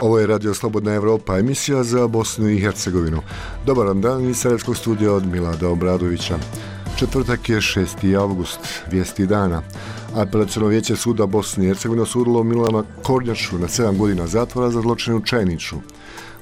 Ovo je Radio Slobodna Evropa, emisija za Bosnu i Hercegovinu. Dobar vam dan iz Sarajevskog studija od Milada Obradovića. Četvrtak je 6. avgust, vijesti dana. Apelaciono vijeće suda Bosne i Hercegovine osudilo Milana Kornjaču na 7 godina zatvora za zločin u Čajniću.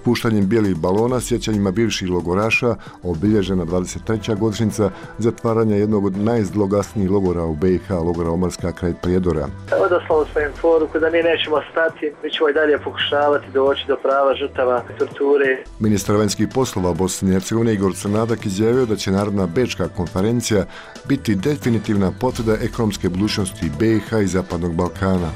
Puštanjem bijelih balona sjećanjima bivših logoraša obilježena 23. godišnjica zatvaranja jednog od najzloglasnijih logora u BiH, logora Omarska kraj Prijedora. Odoslao svojem poruku da mi nećemo stati, mi ćemo i dalje pokušavati doći do prava žrtava torture. Ministar vanjskih poslova Bosne i Hercegovine Igor Crnadak izjavio da će Narodna bečka konferencija biti definitivna potvrda ekonomske budućnosti BiH i Zapadnog Balkana.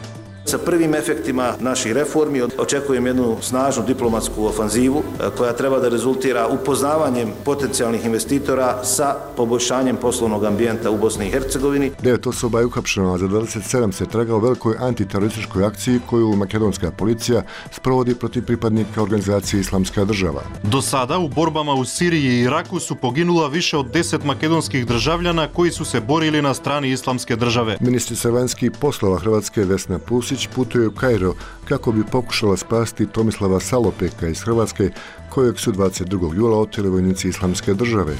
Sa prvim efektima naših reformi očekujem jednu snažnu diplomatsku ofanzivu koja treba da rezultira upoznavanjem potencijalnih investitora sa poboljšanjem poslovnog ambijenta u Bosni i Hercegovini. 9 osoba je uhapšeno, a za 27 se traga u velikoj antiterorističkoj akciji koju makedonska policija sprovodi protiv pripadnika organizacije Islamska država. Do sada u borbama u Siriji i Iraku su poginula više od 10 makedonskih državljana koji su se borili na strani Islamske države. Ministrica vanjskih poslova Hrvatske Vesna Pusić putuje u Kairo kako bi pokušala spasiti Tomislava Salopeka iz Hrvatske, kojeg su 22. jula oteli vojnici Islamske države.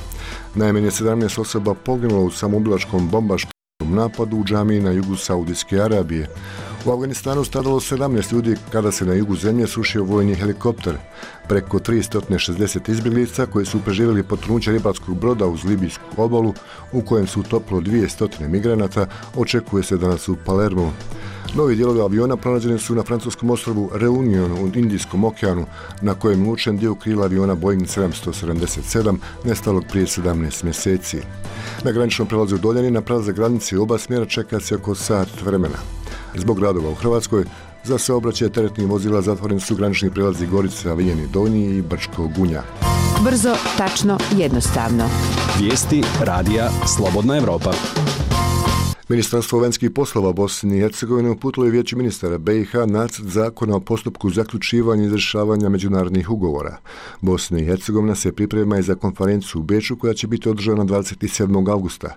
Najmanje 17 osoba poginulo u samoubilačkom bombaškom napadu u džamiji na jugu Saudijske Arabije. U Afganistanu stradalo 17 ljudi kada se na jugu zemlje srušio vojni helikopter. Preko 360 izbjeglica koji su preživjeli potonuće ribarskog broda uz libijsku obalu, u kojem su utopilo 200 migranata, očekuje se danas u Palermu. Novi dijelovi aviona pronađeni su na francuskom ostrvu Reunion u Indijskom okeanu, na kojem je učen dio krila aviona Boeing 777 nestalog prije 17 mjeseci. Na graničnom prelazu u Doljani na prelazak granice oba smjera čeka se oko sat vremena. Zbog radova u Hrvatskoj za saobraćaj teretnih vozila zatvoreni su granični prelazi Gorica, Viljeni Donji i Brčko Gunja. Brzo, tačno, jednostavno. Vijesti radija Slobodna Evropa. Ministarstvo vanjskih poslova Bosne i Hercegovine uputilo je Vijeću ministara BiH nacrt zakona o postupku zaključivanja i izvršavanja međunarodnih ugovora. Bosna i Hercegovina se priprema i za konferenciju u Beču koja će biti održana 27. avgusta.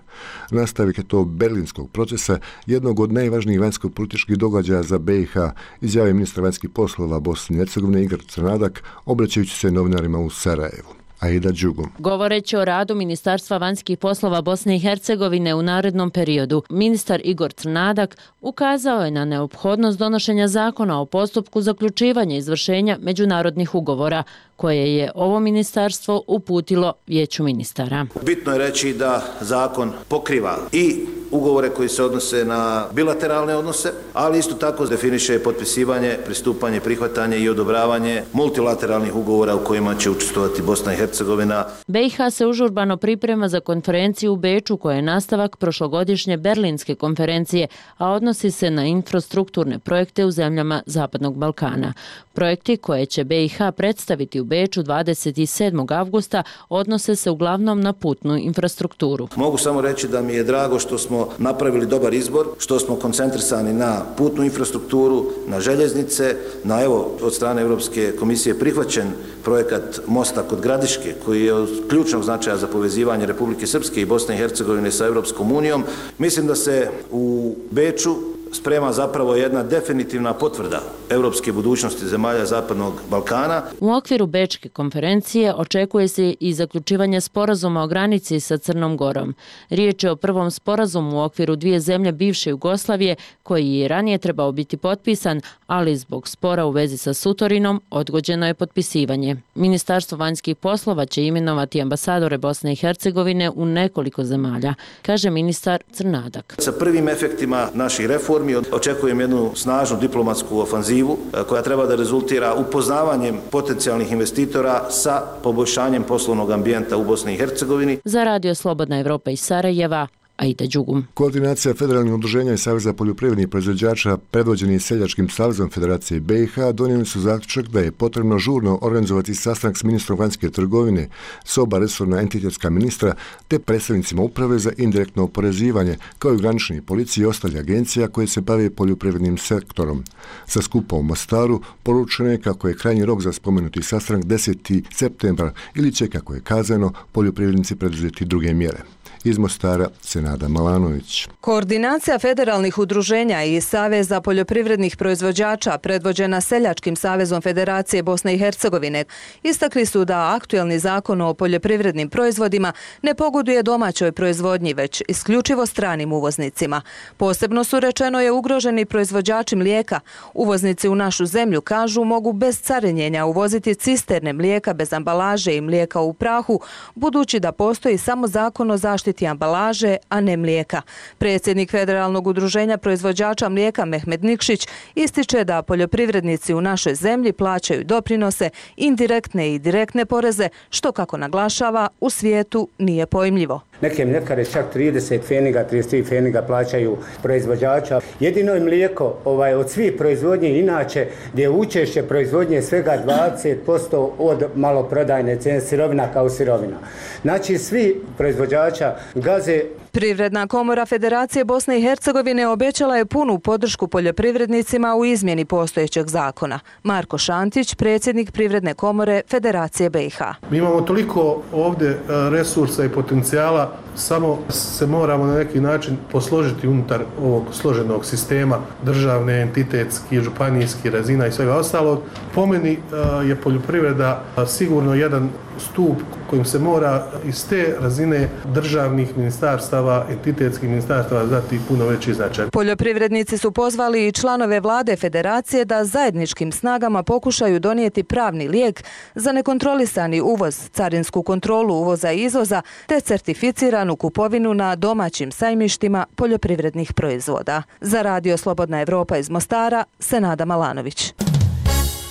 Nastavak je to berlinskog procesa, jednog od najvažnijih vanjsko-političkih događaja za BiH, izjavio ministar vanjskih poslova Bosne i Hercegovine Igor Crnadak, obraćajući se novinarima u Sarajevu. Aida Đugum. Govoreći o radu Ministarstva vanjskih poslova Bosne i Hercegovine u narednom periodu, ministar Igor Crnadak ukazao je na neophodnost donošenja zakona o postupku zaključivanja i izvršenja međunarodnih ugovora, koje je ovo ministarstvo uputilo Vijeću ministara. Bitno je reći da zakon pokriva i ugovore koji se odnose na bilateralne odnose, ali isto tako definiše potpisivanje, pristupanje, prihvatanje i odobravanje multilateralnih ugovora u kojima će učestvovati Bosna i Hercegovina. BiH se užurbano priprema za konferenciju u Beču koja je nastavak prošlogodišnje berlinske konferencije, a odnosi se na infrastrukturne projekte u zemljama Zapadnog Balkana. Projekti koje će BiH predstaviti u Beču 27. avgusta odnose se uglavnom na putnu infrastrukturu. Mogu samo reći da mi je drago što smo napravili dobar izbor, što smo koncentrisani na putnu infrastrukturu, na željeznice, na od strane Europske komisije prihvaćen projekat mosta kod Gradiške, koji je od ključnog značaja za povezivanje Republike Srpske i Bosne i Hercegovine sa Europskom unijom. Mislim da se u Beču sprema zapravo jedna definitivna potvrda europske budućnosti zemalja Zapadnog Balkana. U okviru Bečke konferencije očekuje se i zaključivanje sporazuma o granici sa Crnom Gorom. Riječ je o prvom sporazumu u okviru dvije zemlje bivše Jugoslavije koji je ranije trebao biti potpisan, ali zbog spora u vezi sa Sutorinom odgođeno je potpisivanje. Ministarstvo vanjskih poslova će imenovati ambasadore Bosne i Hercegovine u nekoliko zemalja, kaže ministar Crnadak. Sa prvim efektima naših reformi očekujem jednu snažnu diplomatsku ofanzivu koja treba da rezultira upoznavanjem potencijalnih investitora sa poboljšanjem poslovnog ambijenta u Bosni i Hercegovini. Za Radio Slobodna Evropa iz Sarajeva, Aida Đugum. Koordinacija federalnih udruženja i Saveza poljoprivrednih proizvođača predvođeni Seljačkim savezom Federacije BiH donijeli su zaključak da je potrebno žurno organizovati sastanak s ministrom vanjske trgovine, s oba resorna entitetska ministra te predstavnicima uprave za indirektno oporezivanje, kao i granični policije i ostalih agencija koje se bave poljoprivrednim sektorom. Sa skupa u Mostaru poručeno je kako je krajnji rok za spomenuti sastanak 10. septembar ili će, kako je kazano, poljoprivrednici preduzeti druge mjere. Iz Mostara Senada Malanović. Koordinacija federalnih udruženja i Saveza poljoprivrednih proizvođača predvođena Seljačkim savezom Federacije Bosne i Hercegovine istakli su da aktuelni zakon o poljoprivrednim proizvodima ne pogoduje domaćoj proizvodnji, već isključivo stranim uvoznicima. Posebno su, rečeno je, ugroženi proizvođači mlijeka. Uvoznici u našu zemlju, kažu, mogu bez carinjenja uvoziti cisterne mlijeka bez ambalaže i mlijeka u prahu, budući da postoji samo zakon o zaštiti ambalaže, a ne mlijeka. Predsjednik Federalnog udruženja proizvođača mlijeka Mehmed Nikšić ističe da poljoprivrednici u našoj zemlji plaćaju doprinose, indirektne i direktne poreze, što, kako naglašava, u svijetu nije pojmljivo. Neke mljekare čak 30 pfeniga, 33 pfeniga plaćaju proizvođača. Jedino je mlijeko od svih proizvodnje inače gdje je učešće proizvodnje svega 20% od maloprodajne cijene sirovina kao sirovina. Znači svi proizvođača gaze. Privredna komora Federacije Bosne i Hercegovine obećala je punu podršku poljoprivrednicima u izmjeni postojećeg zakona. Marko Šantić, predsjednik Privredne komore Federacije BiH. Mi imamo toliko ovdje resursa i potencijala, samo se moramo na neki način posložiti unutar ovog složenog sistema državne, entitetski, županijski razina i svega ostalog. Po meni je poljoprivreda sigurno jedan stup kojim se mora iz te razine državnih ministarstava, entitetskih ministarstava dati puno veći značaj. Poljoprivrednici su pozvali i članove vlade Federacije da zajedničkim snagama pokušaju donijeti pravni lijek za nekontrolisani uvoz, carinsku kontrolu uvoza i izvoza te certificiranu kupovinu na domaćim sajmištima poljoprivrednih proizvoda. Za Radio Slobodna Evropa iz Mostara, Senada Malanović.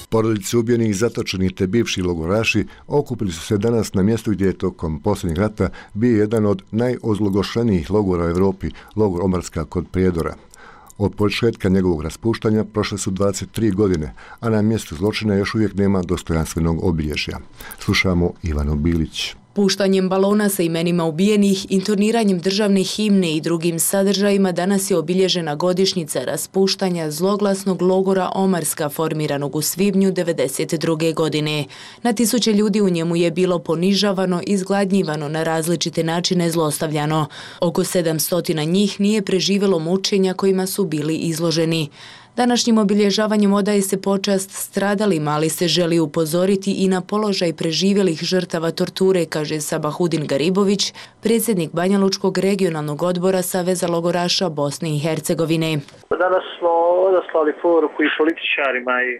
Porodice ubijenih, zatočenih te bivši logoraši okupili su se danas na mjestu gdje je tokom posljednjeg rata bio jedan od najozlogošenijih logora u Europi, logor Omarska kod Prijedora. Od početka njegovog raspuštanja prošle su 23 godine, a na mjestu zločina još uvijek nema dostojanstvenog obilježja. Slušamo Ivanu Bilić. Puštanjem balona sa imenima ubijenih, intoniranjem državne himne i drugim sadržajima danas je obilježena godišnjica raspuštanja zloglasnog logora Omarska formiranog u svibnju 1992. godine. Na tisuće ljudi u njemu je bilo ponižavano, izgladnjivano, na različite načine zlostavljano. Oko 700 njih nije preživjelo mučenja kojima su bili izloženi. Današnjim obilježavanjem odaje se počast stradalima, ali se želi upozoriti i na položaj preživjelih žrtava torture, kaže Sabahudin Garibović, predsjednik Banjalučkog regionalnog odbora Saveza logoraša Bosne i Hercegovine. Danas smo odaslali poruku i političarima i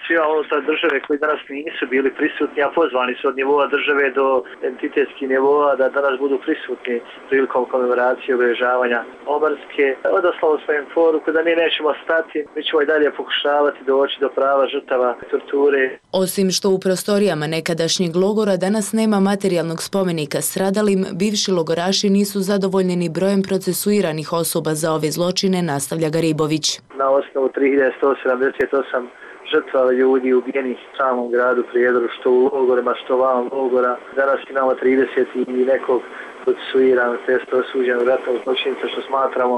svima unutar države koji danas nisu bili prisutni, a pozvani su od nivoa države do entitetskih nivoa da danas budu prisutni prilikom komemoracije obilježavanja Omarske. Odaslali smo im poruku da mi nećemo stati, mi ćemo i dalje pokušavati doći do prava žrtava torture. Osim što u prostorijama nekadašnjeg logora danas nema materijalnog spomenika stradalim, bivši logoraši nisu zadovoljni ni brojem procesuiranih osoba za ove zločine, nastavlja Garibović. Na osnovu 3178 žrtva ljudi ubijenih u samom gradu Prijedoru, što u logorima, što van logora. Danas imamo 30 i nekog procesuiranog, testa osuđenog ratnog zločinca, što smatramo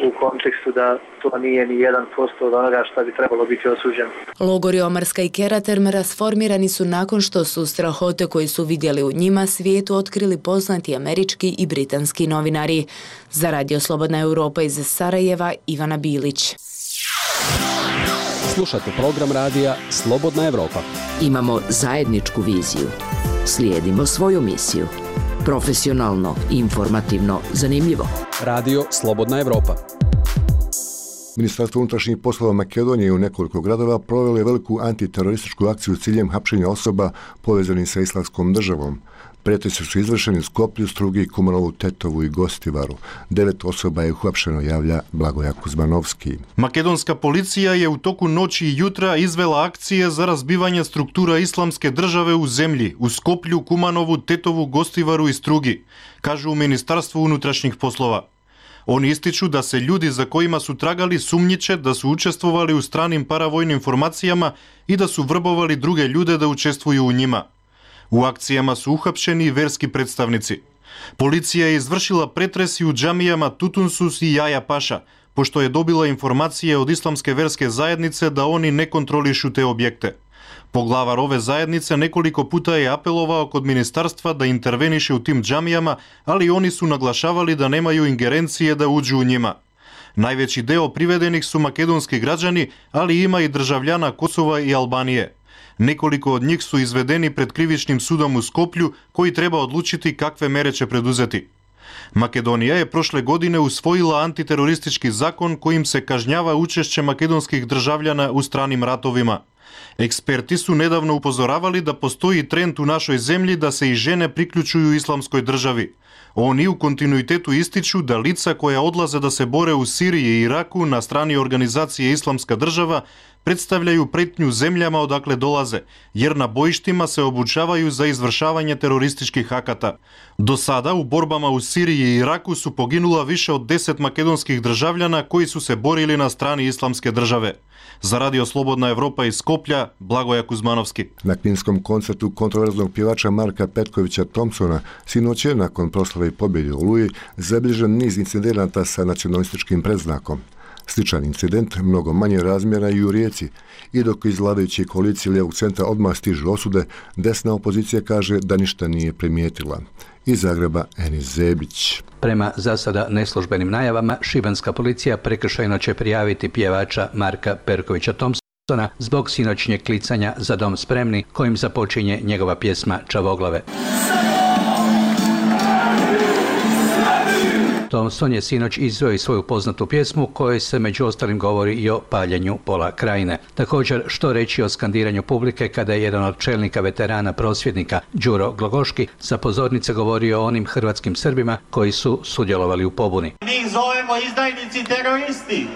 u kontekstu da to nije ni 1% od onoga što bi trebalo biti osuđeno. Logori Omarska i Keraterm rasformirani su nakon što su strahote koje su vidjeli u njima svijetu otkrili poznati američki i britanski novinari. Za Radio Slobodna Evropa iz Sarajeva, Ivana Bilić. Slušate program radija Slobodna Evropa. Imamo zajedničku viziju. Slijedimo svoju misiju. Profesionalno, informativno, zanimljivo. Radio Slobodna Evropa. Ministarstvo unutrašnjih poslova Makedonije u nekoliko gradova provelo je veliku antiterorističku akciju s ciljem hapšenja osoba povezanih sa Islamskom državom. Prijeteci su izvršeni u Skoplju, Strugi, Kumanovu, Tetovu i Gostivaru. 9 osoba je uhapšeno, javlja Blagoja Kuzmanovski. Makedonska policija je u toku noći i jutra izvela akcije za razbivanje struktura Islamske države u zemlji, u Skoplju, Kumanovu, Tetovu, Gostivaru i Strugi, kažu u Ministarstvu unutrašnjih poslova. Oni ističu da se ljudi za kojima su tragali sumnjiče da su učestvovali u stranim paravojnim formacijama i da su vrbovali druge ljude da učestvuju u njima. U akcijama su uhapšeni i verski predstavnici. Policija je izvršila pretresi u džamijama Tutunsus i Jaja Paša, pošto je dobila informacije od islamske verske zajednice da oni ne kontrolišu te objekte. Поглавар ове заеднице неколико пута е апеловао код министарства да интервенише у тим џамијама, али они су наглашавали да немају ингеренција да уđу у њима. Највеći део приведених су македонски граđани, али има и држављана Косова и Албанije. Неколико од нив су изведени пред кривичним судом у Скопљу, кој треба одлучити какве мере ќе предузети. Македонија е прошле године усвоила антитерористички закон којим се кажњава учешće македонских држављана у страним ратовима. Експерти су недавно упозоравали да постои тренд у нашој земји да се и жене приклучују исламској држави. Они у континуитету истичу да лица која одлазе да се боре у Сирија и Ираку на страни организација Исламска држава представљају претњу земљама одакле долазе, јер на боиштима се обучавају за извршавање терористички аката. До сада у борбама у Сирија и Ираку су погинула више од 10 македонских држављана кои су се борили на страни Исламске државе. За Радио Слободна Европа из Скопља, Благоја Кузмановски. Na kvinskom koncertu kontroverznog pjevača Marka Petkovića Thompsona sinoć je nakon proslave pobjede u Oluji zabilježen niz incidenata sa nacionalističkim predznakom. Sličan incident, mnogo manje razmjera i u Rijeci. I dok iz vladajuće koalicije lijevog centra odmah stižu osude, desna opozicija kaže da ništa nije primijetila. Iz Zagreba Enis Zebić. Prema za sada neslužbenim najavama, šibenska policija prekršajno će prijaviti pjevača Marka Perkovića Thompsona zbog sinoćnjeg klicanja Za dom spremni, kojim započinje njegova pjesma Čavoglave. Thompson je sinoć izveo i svoju poznatu pjesmu kojoj se među ostalim govori i o paljenju pola krajine. Također, što reći o skandiranju publike kada je jedan od čelnika veterana prosvjednika, Đuro Glogoški, sa pozornice govorio o onim hrvatskim Srbima koji su sudjelovali u pobuni. Mi ih zovemo izdajnici teroristi.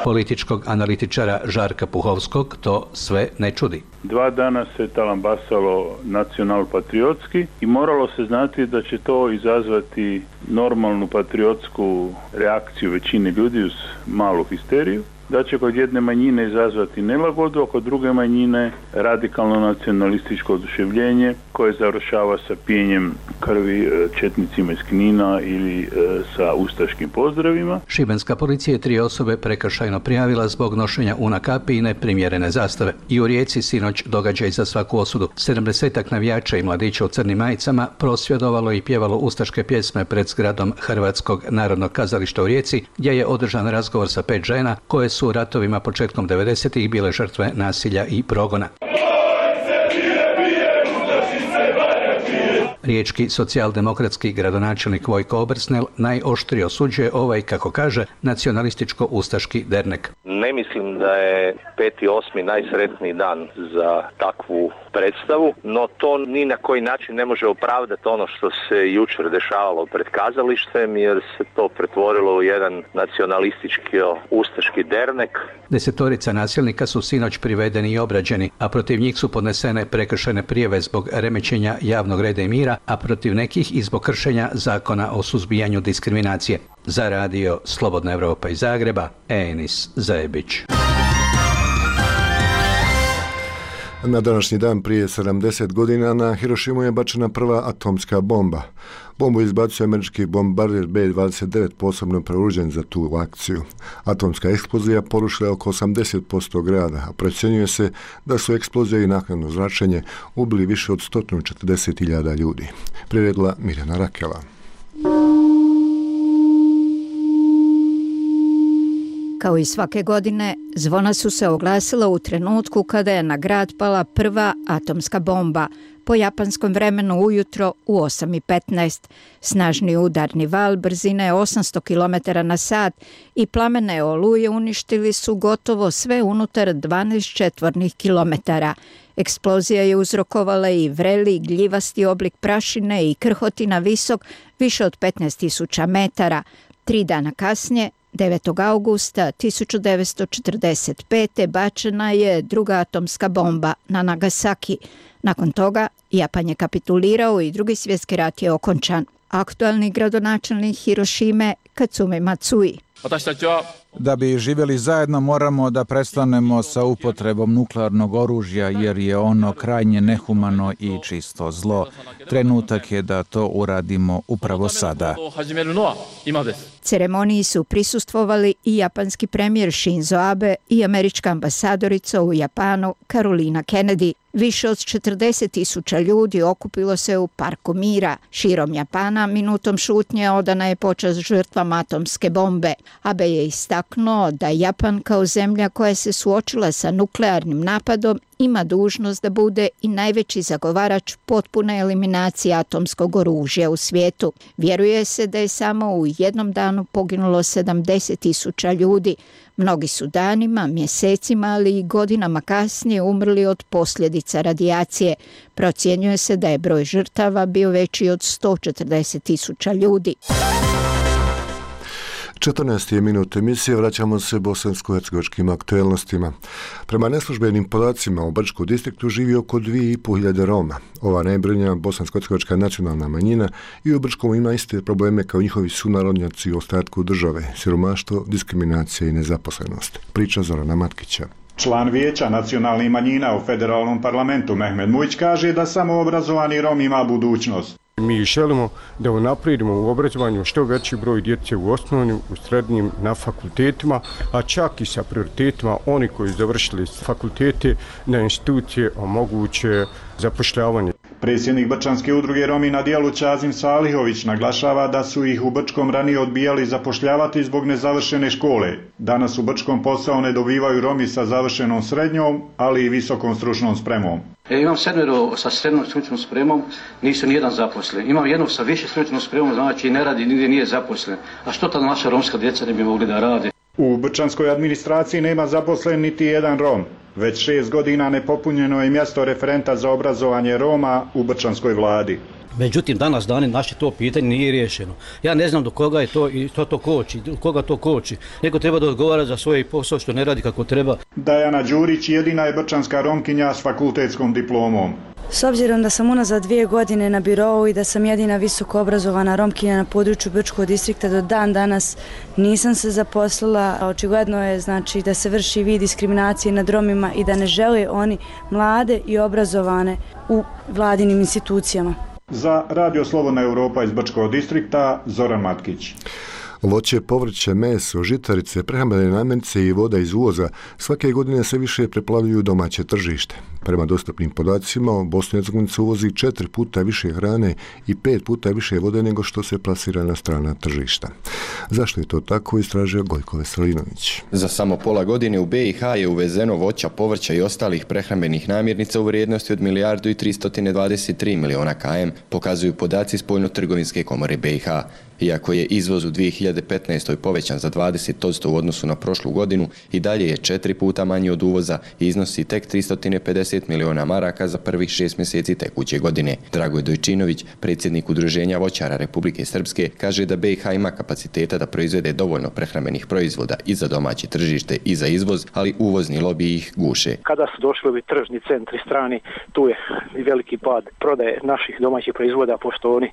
Političkog analitičara Žarka Puhovskog to sve ne čudi. 2 dana se talambasalo nacional-patriotski i moralo se znati da će to izazvati normalnu patriotsku reakciju većine ljudi uz malu histeriju, da će kod jedne manjine izazvati nelagodu, a kod druge manjine radikalno nacionalističko oduševljenje koje završava sa pijenjem krvi četnicima iz Knina ili sa ustaškim pozdravima. Šibenska policija je 3 osobe prekršajno prijavila zbog nošenja una kapi i neprimjerene zastave. I u Rijeci sinoć događaj za svaku osudu. 70-ak navijača i mladića u crnim majicama prosvjedovalo i pjevalo ustaške pjesme pred zgradom Hrvatskog narodnog kazališta u Rijeci, gdje je održan razgovor sa 5 žena koje su u ratovima početkom 90-ih bile žrtve nasilja i progona. Riječki socijaldemokratski gradonačelnik Vojko Obersnel najoštrije osuđuje ovaj, kako kaže, nacionalističko-ustaški dernek. Ne mislim da je 5.8. najsretniji dan za takvu predstavu, no to ni na koji način ne može opravdati ono što se jučer dešavalo pred kazalištem, jer se to pretvorilo u jedan nacionalistički-ustaški dernek. 10 nasilnika su sinoć privedeni i obrađeni, a protiv njih su podnesene prekršajne prijave zbog remećenja javnog reda i mira, a protiv nekih i zbog kršenja zakona o suzbijanju diskriminacije. Za Radio Slobodna Evropa iz Zagreba, Enis Zebić. Na današnji dan prije 70 godina na Hirošimu je bačena prva atomska bomba. Bombu izbacio američki bombarder B-29 posebno preuređen za tu akciju. Atomska eksplozija porušila oko 80% grada, a procjenjuje se da su eksplozije i naknadno zračenje ubili više od 140.000 ljudi. Priredila Mirjana Rakela. Kao i svake godine, zvona su se oglasila u trenutku kada je na grad pala prva atomska bomba, po japanskom vremenu ujutro u 8:15. Snažni udarni val brzine 800 km na sat i plamene oluje uništili su gotovo sve unutar 12 četvornih kilometara. Eksplozija je uzrokovala i vreli, gljivasti oblik prašine i krhotina visok više od 15.000 metara. 3 dana kasnije, 9. augusta 1945. bačena je druga atomska bomba na Nagasaki. Nakon toga, Japan je kapitulirao i Drugi svjetski rat je okončan. Aktualni gradonačelnik Hirošime, Katsumi Matsui. Da bi živjeli zajedno moramo da prestanemo sa upotrebom nuklearnog oružja jer je ono krajnje nehumano i čisto zlo. Trenutak je da to uradimo upravo sada. Ceremoniji su prisustvovali i japanski premijer Shinzo Abe i američka ambasadorica u Japanu Carolina Kennedy. Više od 40.000 ljudi okupilo se u Parku mira. Širom Japana minutom šutnje odana je počast žrtvama atomske bombe. Abe je istaknuo da Japan kao zemlja koja se suočila sa nuklearnim napadom ima dužnost da bude i najveći zagovarač potpune eliminacije atomskog oružja u svijetu. Vjeruje se da je samo u jednom danu poginulo 70.000 ljudi. Mnogi su danima, mjesecima, ali i godinama kasnije umrli od posljedica radijacije. Procjenjuje se da je broj žrtava bio veći od 140.000 ljudi. 14. minut emisije, vraćamo se bosansko-hercegovačkim aktuelnostima. Prema neslužbenim podacima u Brčkom distriktu živi oko 2.500 Roma. Ova najbrojnija bosansko-hercegovačka nacionalna manjina i u Brčkom ima iste probleme kao njihovi sunarodnjaci u ostatku države, siromaštvo, diskriminacija i nezaposlenost. Priča Zorana Matkića. Član vijeća nacionalnih manjina u federalnom parlamentu Mehmed Mujić kaže da samo obrazovani Rom ima budućnost. Mi želimo da unaprijedimo u obrazovanju što veći broj djece u osnovnim, u srednjim, na fakultetima, a čak i sa prioritetima oni koji završili fakultete na institucije omoguće zapošljavanje. Predsjednik Brčanske udruge Romi na dijelu Čazim Salihović naglašava da su ih u Brčkom ranije odbijali zapošljavati zbog nezavršene škole. Danas u Brčkom posao ne dobivaju Romi sa završenom srednjom, ali i visokom stručnom spremom. Imam 7 sa srednjom stručnom spremom, nisu nijedan zaposlen. Imam jednog sa više stručnom spremom, znači ne radi, nigdje nije zaposlen. A što ta naša romska djeca ne bi mogli da rade? U Brčanskoj administraciji nema zaposlen niti jedan Rom. Već 6 godina nepopunjeno je mjesto referenta za obrazovanje Roma u Brčanskoj vladi. Međutim, danas dani naše to pitanje nije riješeno. Ja ne znam do koga je to i to koči, do koga to koči. Neko treba da odgovara za svoj posao što ne radi kako treba. Dajana Đurić jedina je brčanska Romkinja s fakultetskom diplomom. S obzirom da sam unazad 2 godine na birou i da sam jedina visoko obrazovana Romkinja na području Brčkog distrikta, do dan danas nisam se zaposlila. Očigledno je znači da se vrši vid diskriminacije nad Romima i da ne žele oni mlade i obrazovane u vladinim institucijama. Za Radio Slobodna Europa iz Brčkog distrikta, Zoran Matkić. Voće, povrće, meso, žitarice, prehrambene namirnice i voda iz uvoza svake godine sve više preplavljuju domaće tržište. Prema dostupnim podacima, Bosna i Hercegovina uvozi 4 puta više hrane i 5 puta više vode nego što se plasira na strana tržišta. Zašto je to tako, istražio Gojko Veselinović. Za samo pola godine u BiH je uvezeno voća, povrća i ostalih prehrambenih namirnica u vrijednosti od 1.323 miliona km, pokazuju podaci Spoljno-trgovinske komore BiH. Iako je izvoz u 2015. povećan za 20% u odnosu na prošlu godinu, i dalje je 4 puta manji od uvoza i iznosi tek 350 miliona maraka za prvih 6 mjeseci tekuće godine. Dragoj Dojčinović, predsjednik Udruženja voćara Republike Srpske, kaže da BiH ima kapaciteta da proizvede dovoljno prehrambenih proizvoda i za domaće tržište i za izvoz, ali uvozni lobi ih guše. Kada su došli ovi tržni centri strani, tu je i veliki pad prodaje naših domaćih proizvoda, pošto oni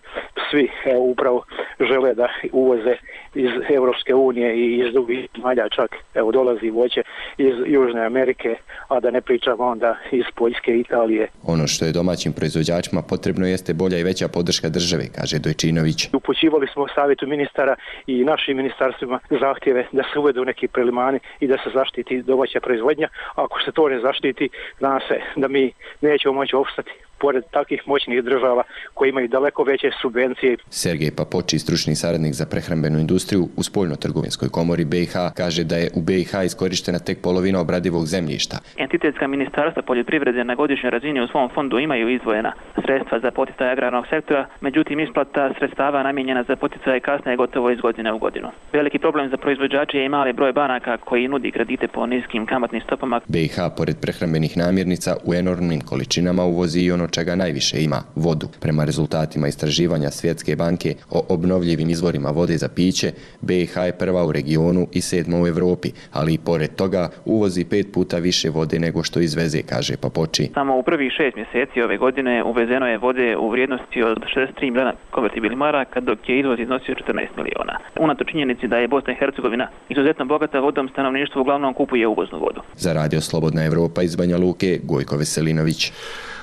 svi upravo žele da uvoze iz Europske unije i iz drugih zemalja, čak dolazi voće iz Južne Amerike, a da ne pričamo onda iz Poljske i Italije. Ono što je domaćim proizvođačima potrebno jeste bolja i veća podrška države, kaže Dojčinović. Upućivali smo savjetu ministara i našim ministarstvima zahtjeve da se uvedu neki prelimani i da se zaštiti domaća proizvodnja. Ako se to ne zaštiti, zna se da mi nećemo moći opstati pored takvih moćnih država koji imaju daleko veće subvencije. Sergej Papoči, stručni saradnik za prehrambenu industriju u Spoljno-trgovinskoj komori BiH, kaže da je u BiH iskorištena tek polovina obradivog zemljišta. Entitetska ministarstva poljoprivrede na godišnjoj razini u svom fondu imaju izdvojena sredstva za poticaj agrarnog sektora, međutim isplata sredstava namijenjena za poticaj kasne gotovo iz godine u godinu. Veliki problem za proizvođače je i mali broj banaka koji nudi kredite po niskim kamatnim stopama. BiH pored prehrambenih namirnica u enormnim količinama uvozi i ono čega najviše ima vodu. Prema rezultatima istraživanja Svjetske banke o obnovljivim izvorima vode za piće, BiH je prva u regionu i 7. u Evropi, ali i pored toga uvozi 5 puta više vode nego što izveze, kaže Papoči. Samo u prvih 6 mjeseci ove godine uvezeno je vode u vrijednosti od 63 miliona konvertibilnih maraka, dok je izvoz iznosio 14 miliona. Unato činjenici da je Bosna i Hercegovina izuzetno bogata vodom, stanovništvo uglavnom kupuje uvoznu vodu. Za Radio Slobodna Evropa iz Banja Luke, Gojko Veselinović.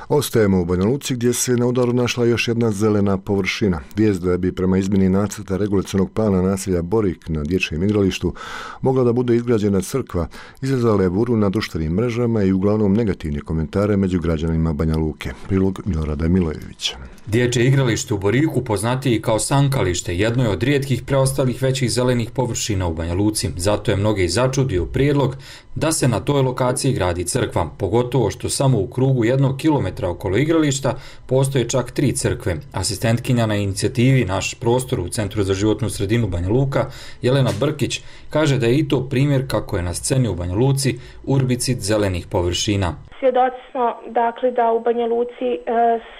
Ostajemo u Banja Luci gdje se na udaru našla još jedna zelena površina. Vijest da bi prema izmjeni nacrta regulacionog plana naselja Borik na dječjem igralištu mogla da bude izgrađena crkva izazvala je buru na društvenim mrežama i uglavnom negativne komentare među građanima Banja Luke. Prilog Milorada Milojevića. Dječje igralište u Boriku, poznatiji kao Sankalište, jedno je od rijetkih preostalih većih zelenih površina u Banja Luci. Zato je mnoge i začudio prijedlog da se na toj lokaciji gradi crkva, pogotovo što samo u krugu 1 kilometra okolo igrališta postoje čak 3 crkve. Asistentkinja na inicijativi Naš prostor u Centru za životnu sredinu Banja Luka, Jelena Brkić, kaže da je i to primjer kako je na sceni u Banja Luci urbicid zelenih površina. Svjedoci smo dakle da u Banja Luci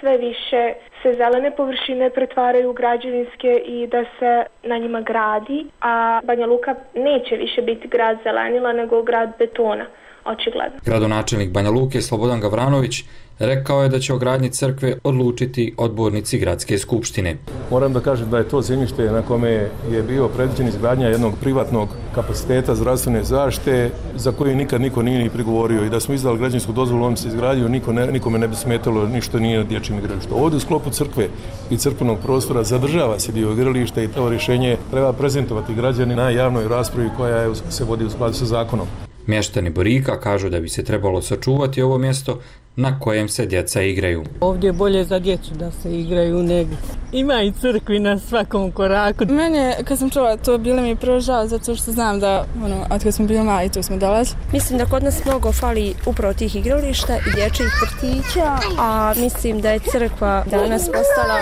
sve više se zelene površine pretvaraju u građevinske i da se na njima gradi, a Banja Luka neće više biti grad zelenila nego grad betona, očigledno. Gradonačelnik Banja Luke Slobodan Gavranović rekao je da će o gradnji crkve odlučiti odbornici gradske skupštine. Moram da kažem da je to zemljište na kome je bio predviđen izgradnja jednog privatnog kapaciteta zdravstvene zaštite za koju nikad niko nije ni prigovorio i da smo izdali građevinsku dozvolu, on se izgradio, nikome ne bi smetalo ništa nije na dječjem igralištu. Ovdje u sklopu crkve i crkvenog prostora zadržava se dio igrališta i to rješenje treba prezentovati građani na javnoj raspravi koja se vodi u skladu sa zakonom. Mještani Borika kažu da bi se trebalo sačuvati ovo mjesto na kojem se djeca igraju. Ovdje je bolje za djecu da se igraju nego. Ima i crkvi na svakom koraku. Mene, kad sam čula to, bilo mi prvo žao, zato što znam da, od kad smo bili mali, tu smo dolazili. Mislim da kod nas mnogo fali upravo tih igrališta i dječjih vrtića, a mislim da je crkva danas postala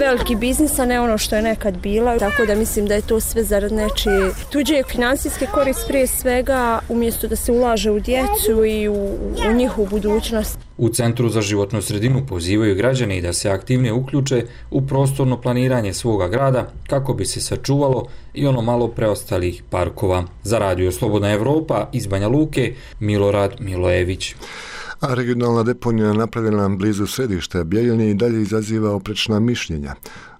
veliki biznis, a ne ono što je nekad bila. Tako da mislim da je to sve zarad nečije tuđe financijske korist prije svega, umjesto da se ulaže u djecu i u njihovu budućnost. U Centru za životnu sredinu pozivaju građani da se aktivnije uključe u prostorno planiranje svoga grada kako bi se sačuvalo i ono malo preostalih parkova. Za Radio Slobodna Evropa iz Banja Luke, Milorad Milojević. A regionalna deponija napravljena blizu središta Bjeljine i dalje izaziva oprečna mišljenja.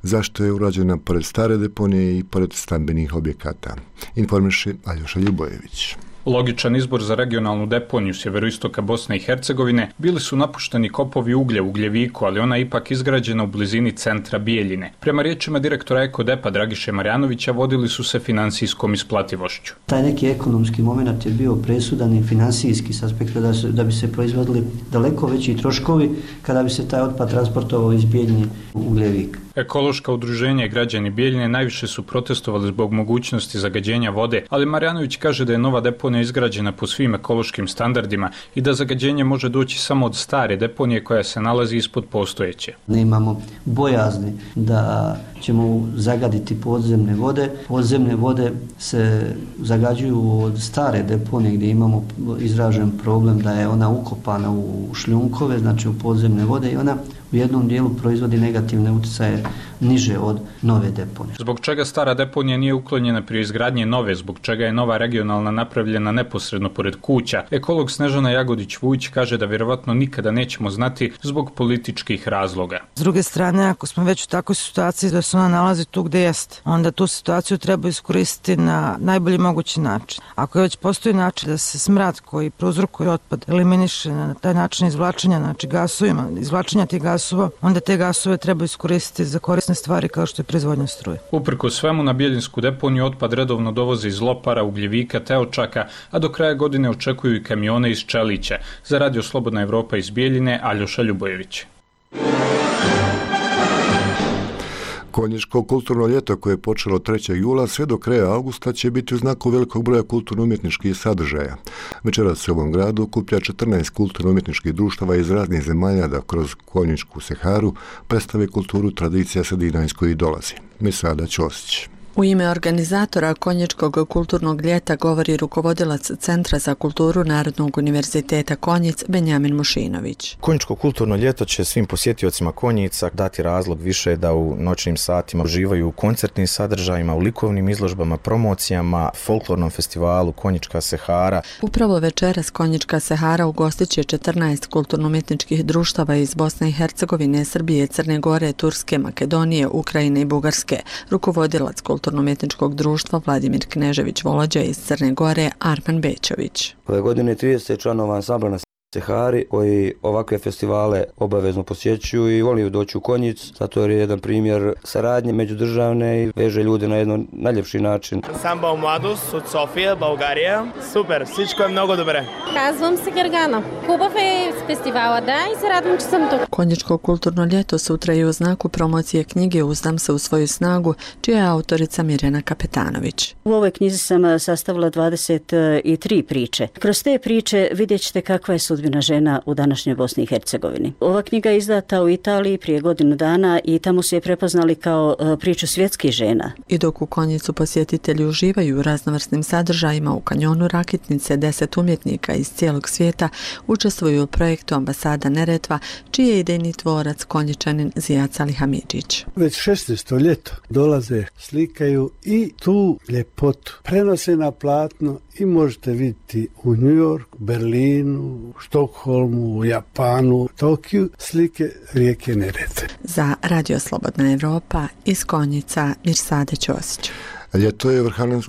Zašto je urađena pored stare deponije i pored stambenih objekata? Informiše Aljoša Ljubojević. Logičan izbor za regionalnu deponiju sjeveroistoka Bosne i Hercegovine bili su napušteni kopovi uglja u Ugljeviku, ali ona je ipak izgrađena u blizini centra Bijeljine. Prema riječima direktora Ekodepa Dragiše Marjanovića vodili su se financijskom isplativošću. Taj neki ekonomski moment je bio presudan i financijski s aspekta da bi se proizvodili daleko veći troškovi kada bi se taj otpad transportovao iz Bijeljine u Ugljevik. Ekološka udruženja i građani Bijeljine najviše su protestovali zbog mogućnosti zagađenja vode, ali Marjanović kaže da je nova deponija izgrađena po svim ekološkim standardima i da zagađenje može doći samo od stare deponije koja se nalazi ispod postojeće. Nemamo bojazni da ćemo zagaditi podzemne vode. Podzemne vode se zagađuju od stare deponije gdje imamo izražen problem da je ona ukopana u šljunkove, znači u podzemne vode i ona u jednom dijelu proizvodi negativne utjecaje niže od nove deponije. Zbog čega stara deponija nije uklonjena prije izgradnje nove, zbog čega je nova regionalna napravljena neposredno pored kuća, ekolog Snežana Jagodić-Vujić kaže da vjerovatno nikada nećemo znati zbog političkih razloga. S druge strane, ako smo već u takvoj situaciji da se ona nalazi tu gdje jeste, onda tu situaciju treba iskoristiti na najbolji mogući način. Ako je već postoji način da se smrad koji prouzrokuje otpad eliminiše na taj način izvlačenja, znači gasovima, izvlačenja tih gasova, onda te gasove treba iskoristiti za korisne stvari kao što je proizvodnja struje. Uprkos svemu na Bijeljinsku deponiju otpad redovno dovoze iz Lopara, Ugljevika te Očaka, a do kraja godine očekuju i kamione iz Čelića. Za Radio Slobodna Evropa iz Bijeljine, Aljoša Ljubojević. Konjičko kulturno ljeto koje je počelo 3. jula sve do kraja augusta će biti u znaku velikog broja kulturno-umjetničkih sadržaja. Večeras se u ovom gradu okuplja 14 kulturno-umjetničkih društava iz raznih zemalja da kroz Konjičku Seharu predstave kulturu tradicija sredina iz kojih dolazi. Misada Ćosić. U ime organizatora Konjičkog kulturnog ljeta govori rukovodilac Centra za kulturu Narodnog univerziteta Konjic Benjamin Mušinović. Konjičko kulturno ljeto će svim posjetiocima Konjica dati razlog više da u noćnim satima uživaju u koncertnim sadržajima, u likovnim izložbama, promocijama, folklornom festivalu Konjička Sehara. Upravo večeras Konjička Sehara ugostit će 14 kulturno-umjetničkih društava iz Bosne i Hercegovine, Srbije, Crne Gore, Turske, Makedonije, Ukrajine i Bugarske. Rukovodilac kulturno-umjetničkog društva Vladimir Knežević Volođa iz Crne Gore Arman Bećović. Ove godine 30 članova ansambla na Sehari koji ovakve festivale obavezno posjećuju i voliju doći u Konjic, zato je jedan primjer saradnje međudržavne i veže ljude na jedan najljepši način. Ansambl Mladost od Sofije, Bulgarija. Super, всичко je mnogo dobre. Казвам се Гергана. Хубав е фестивала, да, и се радвам, че съм тук. Konjičko kulturno ljeto sutra je u znaku promocije knjige Uzdam se u svoju snagu, čija je autorica Mirjana Kapetanović. U ovoj knjizi sam sastavila 23 priče. Kroz te priče vidjet ćete kakva je sudbina žena u današnjoj Bosni i Hercegovini. Ova knjiga je izdata u Italiji prije godinu dana i tamo su je prepoznali kao priču svjetskih žena. I dok u Konjicu posjetitelji uživaju u raznovrsnim sadržajima, u kanjonu Rakitnice 10 umjetnika iz cijelog svijeta učestvuju u projektu Ambasada Neretva, čiji je idejni tvorac Konjičanin Zijat Alihamidžić. Već 16. ljeto dolaze, slikaju i tu ljepotu prenose na platno i možete vidjeti u New Yorku, Berlinu, Štokholmu, Japanu, Tokiju slike rijeke Neretve. Za Radio Slobodna Evropa iz Konjica Mirsade Ćosić. Ljeto je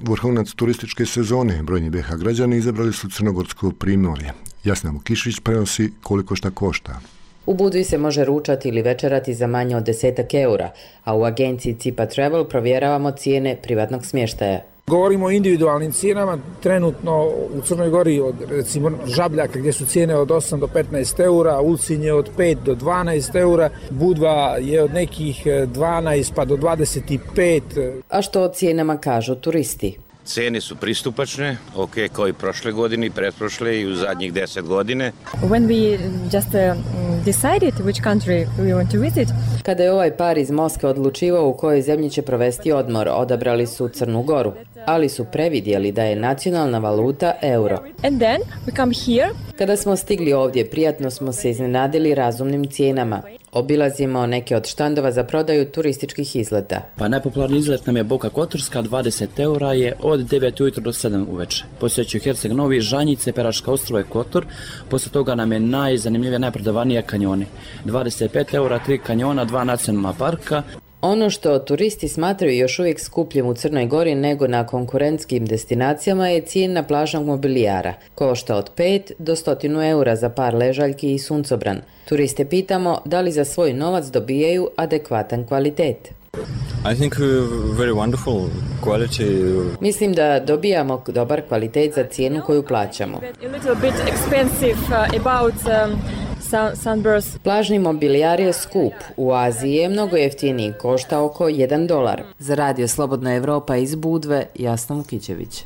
vrhunac turističke sezone. Brojni BiH građani izabrali su crnogorsko primorje. Jasna Mukišić prenosi koliko šta košta. U Budvi se može ručati ili večerati za manje od 10 eura, a u agenciji Cipa Travel provjeravamo cijene privatnog smještaja. Govorimo o individualnim cijenama, trenutno u Crnoj Gori od recimo Žabljaka gdje su cijene od 8 do 15 eura, Ulcinj od 5 do 12 eura, Budva je od nekih 12 pa do 25. A što o cijenama kažu turisti? Cene su pristupačne, ok, kao i prošle godine i pretprošle i u zadnjih 10 godine. When we just decided which country we want to visit. Kada je ovaj par iz Moskve odlučivao u kojoj zemlji će provesti odmor, odabrali su Crnu Goru, ali su previdjeli da je nacionalna valuta euro. And then we come here. Kada smo stigli ovdje, prijatno smo se iznenadili razumnim cijenama. Obilazimo neke od štandova za prodaju turističkih izleta. Pa najpopularniji izlet nam je Boka Kotorska, 20 eura je od 9 ujutro do 7 uveče. Posjećuju Herceg Novi, Žanjice, Peraška ostrvo i Kotor. Poslije toga nam je najzanimljivija, najprodavanija kanjoni. 25 eura, 3 kanjona, 2 nacionalna parka. Ono što turisti smatraju još uvijek skupljim u Crnoj Gori nego na konkurentskim destinacijama je cijena plažnog mobilijara. Košta od 5 do 100 eura za par ležaljki i suncobran. Turiste pitamo da li za svoj novac dobijaju adekvatan kvalitet. I think very wonderful quality. Mislim da dobijamo dobar kvalitet za cijenu koju plaćamo. Plažni mobilijar je skup. U Aziji je mnogo jeftiniji, košta oko $1. Za Radio Slobodna Evropa iz Budve, Jasna Mukićević.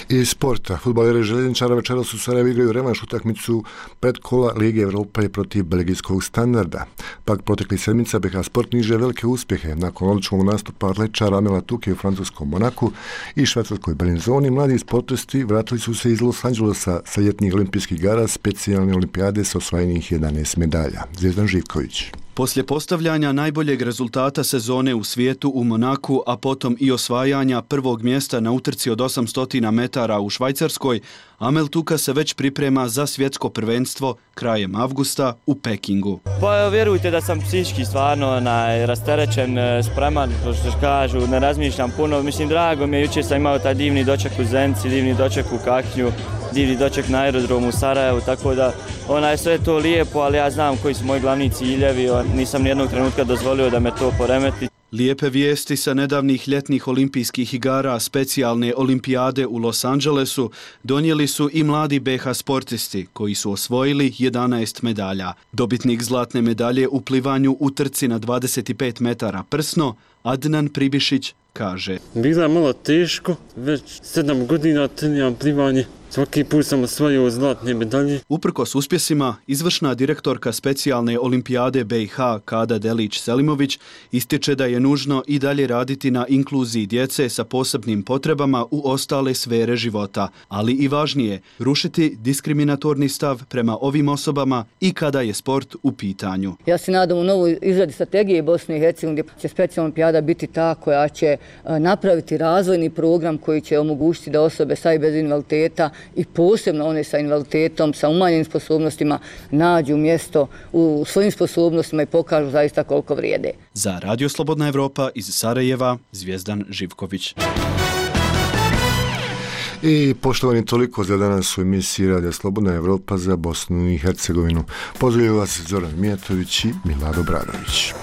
Iz sporta, fudbaleri željezničara večeras u Sarajevu igraju revanš utakmicu predkola Lige Evrope protiv belgijskog Standarda. Pak protekli sedmica BiH Sport niže velike uspjehe. Nakon odličnog nastupa atletičara Amela Tuke u francuskom Monaku i švajcarskoj Belinzoni, mladi sportisti vratili su se iz Los Angelesa sa ljetnih olimpijskih igara specijalne olimpijade sa osvojenih 11 medalja. Zvijezdan Živković. Poslije postavljanja najboljeg rezultata sezone u svijetu u Monaku, a potom i osvajanja prvog mjesta na utrci od 800 metara u Švajcarskoj, Amel Tuka se već priprema za svjetsko prvenstvo krajem avgusta u Pekingu. Pa vjerujte da sam psihički stvarno rasterećen, spreman, što kažu, ne razmišljam puno. Mislim, drago mi je, jučer sam imao taj divni doček u Zenci, divni doček u Kaknju, divni doček na aerodromu u Sarajevu, tako da sve to lijepo, ali ja znam koji su moji glavni ciljevi, nisam nijednog trenutka dozvolio da me to poremeti. Lijepe vijesti sa nedavnih ljetnih olimpijskih igara specijalne olimpijade u Los Angelesu donijeli su i mladi BiH sportisti koji su osvojili 11 medalja. Dobitnik zlatne medalje u plivanju u trci na 25 metara prsno, Adnan Pribišić, kaže: Bilo je malo teško, već 7 godina treniramo plivanje Svaki put sam osvojio zlatne medalje. Uprkos uspjesima, izvršna direktorka specijalne olimpijade BiH Kada Delić-Selimović ističe da je nužno i dalje raditi na inkluziji djece sa posebnim potrebama u ostale sfere života, ali i važnije, rušiti diskriminatorni stav prema ovim osobama i kada je sport u pitanju. Ja se nadam u novoj izradi strategije Bosne i Hercegovine gdje će specijalna olimpijada biti ta koja će napraviti razvojni program koji će omogućiti da osobe sa i bez invaliditeta i posebno one sa invaliditetom, sa umanjenim sposobnostima nađu mjesto u svojim sposobnostima i pokažu zaista koliko vrijede. Za Radio Slobodna Evropa iz Sarajeva, Zvijezdan Živković. I poštovani, toliko za danas u emisiji Radio Slobodna Evropa za Bosnu i Hercegovinu. Pozdravljaju vas Zoran Mijatović i Milado Bradović.